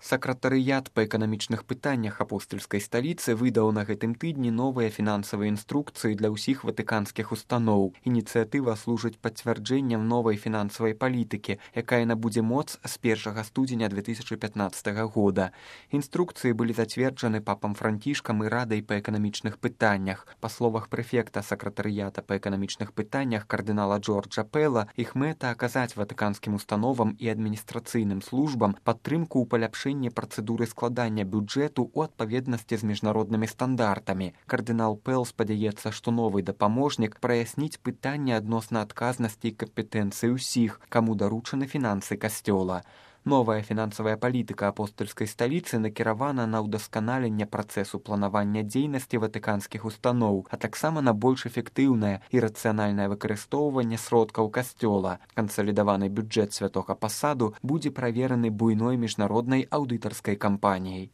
Сакратарыят па эканамічных пытаннях апостальскай сталіцы выдаў на гэтым тыдні новыя фінансавыя інструкцыі для ўсіх ватыканскіх устаноў. Ініцыятыва служыць пацвярджэннем новай фінансавай палітыкі, якая набудзе моц з 1 студзеня 2015 года. Інструкцыі былі зацверджаны папам Францішкам і радай па эканамічных пытаннях. Па словах прэфекта сакратарыята па эканамічных пытаннях кардынала Джорджа Пэла, іх мэта аказаць ватыканскім установам і адміністрацыйным службам падтрымку ў паляпшэнні працэдуры складання бюджэту ў адпаведнасці з міжнароднымі стандартамі. Кардынал Пэл спадзяецца, што новы дапаможнік праясніць пытанне адносна адказнасці і кампетэнцыі ўсіх, каму даручаны фінансы касцёла. Новая фінансавая палітыка апостальскай сталіцы накіравана на ўдасканаленне працэсу планавання дзейнасці ватыканскіх устаноў, а таксама на больш эфектыўнае і рацыянальнае выкарыстоўванне сродкаў касцёла. Кансалідаваны бюджэт святога пасаду будзе правераны буйной міжнароднай аўдытарскай кампаніяй.